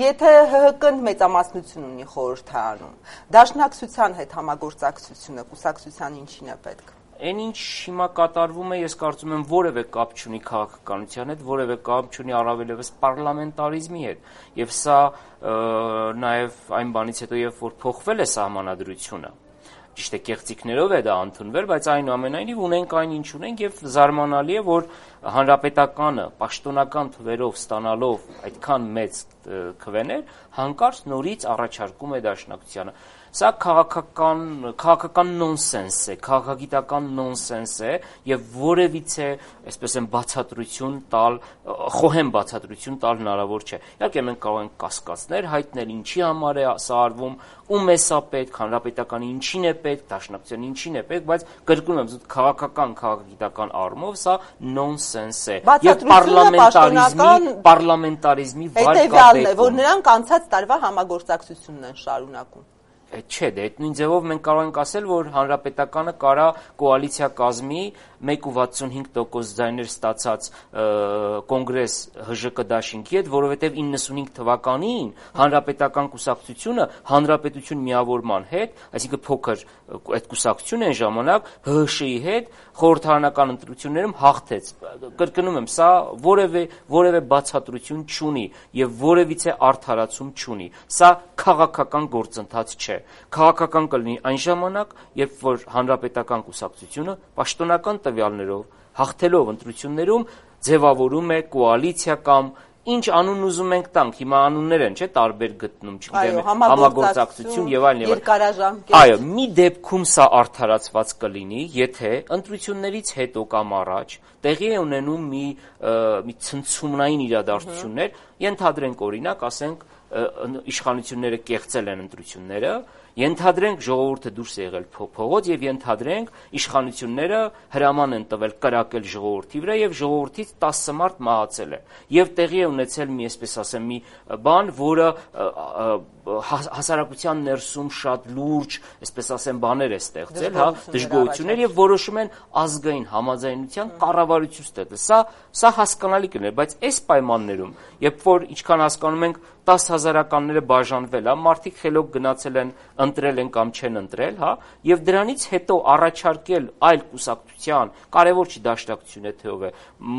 եթե ՀՀԿ-ն մեծամասնություն ունի խորհրդարանում, Դաշնակցության հետ համագործակցությունը կուսակցության ինչին է պետք։ Այն ինչ հիմա կատարվում է, ես կարծում եմ որևէ կապ չունի քաղաքականության հետ, որևէ կապ չունի առավելևս պարլամենտարիզմի հետ, եւ սա նաեւ այն բանից հետո, երբ որ փոխվել է սահմանադրությունը, ճիշտ է կեղծիքներով է դա ընդունվել, բայց այնուամենայնիվ ունենք այն ինչ ունենք եւ զարմանալի է, որ հանրապետականը պաշտոնական թվերով ստանալով այդքան մեծ քվեներ, հանկարծ նորից առաջարկում է Դաշնակցությանը։ Սա քաղաքական նոնսենս է, քաղաքագիտական նոնսենս է եւ որևիցե, այսպես են բացատրություն տալ, խոհեմ բացատրություն տալ հնարավոր չէ։ Իհարկե մենք կարող ենք կասկածներ հայտնել, ինչի համար է սա արվում, ում է սա պետք, հանրապետականի ինչին է պետք, Դաշնակցության ինչին է պետք, բայց կրկնում եմ, քաղաքագիտական առումով սա նոնսենս է եւ պարլամենտարիզմի վարկաբեկում է, որ նրանք անցած տարվա համագործակցությունն են շարունակում։ Չէ, դե այդ նույն ձևով մենք կարող ենք ասել, որ հանրապետականը կարա կոալիցիա կազմի 1.65% ձայներ ստացած կոնգրես ՀԺԿ դաշինքի հետ, որովհետև 95 թվականին հանրապետական կուսակցությունը հանրապետություն միավորման հետ, այսինքն փոքր այդ կուսակցությունը այն ժամանակ ՀՀՇ-ի հետ խորհրդարանական ընտրություններում հաղթեց։ Կրկնում եմ, սա որևէ բացատրություն չունի եւ որևիցե արդարացում չունի։ Սա քաղաքական գործընթաց չէ։ Քաղաքական կլինի այն ժամանակ, երբ որ հանրապետական կուսակցությունը պաշտոնական տվյալներով հաղթելով ընտրություններում ձևավորում է կոալիցիա կամ ինչ անուն ուզում ենք տանք, հիմա անուններ են, չէ, տարբեր գտնում, չգիտեմ, համագործակցություն եւ այլն եւ այլն։ Այո, մի դեպքում սա արդարացված կլինի, եթե ընտրություններից հետո կամ առաջ տեղի է ունենում մի ցնցումնային իրադարձություններ, ենթադրենք օրինակ, ասենք իշխանությունները կեղծել են ընտրությունները, ենթադրենք ժողովուրդը դուրս է եղել փողոց եւ ենթադրենք իշխանությունները հրաման են տվել կրակել ժողովրդի վրա եւ ժողովրդից 10 մարդ մահացել է եւ տեղի է ունեցել մի, այսպես ասեմ, մի բան, որը հասարակության ներսում շատ լուրջ, այսպես ասեմ, բաներ է ստեղծել, հա, դժգոհություններ եւ որոշում են ազգային համաձայնության կառավարություն ստեղծել։ Սա հասկանալի կլիներ, բայց այս պայմաններում, երբ որ ինչքան հասկանում ենք 10,000-ականները բաժանվել, հա, մարդիկ խելոք գնացել են, ընտրել են կամ չեն ընտրել, հա, եւ դրանից հետո առաջարկել այլ կուսակցության, կարևոր չի Դաշնակցությունը թե ով է,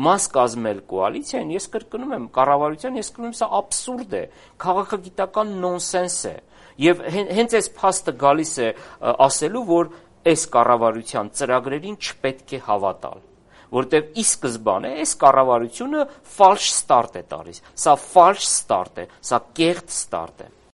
մաս կազմել կոալիցիային, ես կրկնում եմ, կառավարության, ես կրկնում եմ, սա աբսուրդ է, քաղաքագիտական նոնսենս է։ Եվ հենց այս փաստը գալիս է ասելու, որ այս կառավարության ծրագրերին չպետք է հավատալ, որտեղ ի սկզբանե այս կառավարությունը ֆալշ ստարտ է տալիս, սա ֆալշ ստարտ է, սա կեղծ ստարտ է։